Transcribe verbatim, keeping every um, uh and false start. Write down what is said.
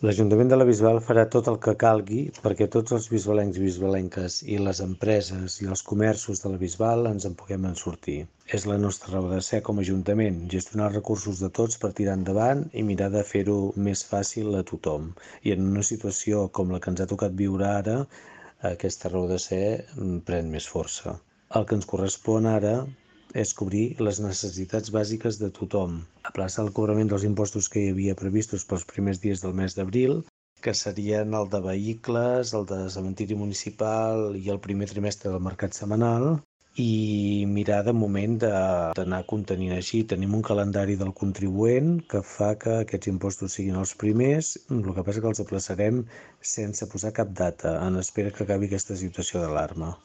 L'Ajuntament de la Bisbal farà tot el que calgui perquè tots els bisbalencs i bisbalenques i les empreses i els comerços de la Bisbal ens en puguem en sortir. És la nostra raó de ser com a Ajuntament, gestionar els recursos de tots per tirar endavant i mirar de fer-ho més fàcil a tothom. I en una situació com la que ens ha tocat viure ara, aquesta raó de ser pren més força. El que ens correspon ara és cobrir les necessitats bàsiques de tothom, aplaçar el cobrament dels impostos que hi havia previstos pels primers dies del mes d'abril, que serien el de vehicles, el de cementiri municipal i el primer trimestre del mercat setmanal, i mirar de moment d'anar contenint així. Tenim un calendari del contribuent que fa que aquests impostos siguin els primers, el que passa que els aplaçarem sense posar cap data, en espera que acabi aquesta situació d'alarma.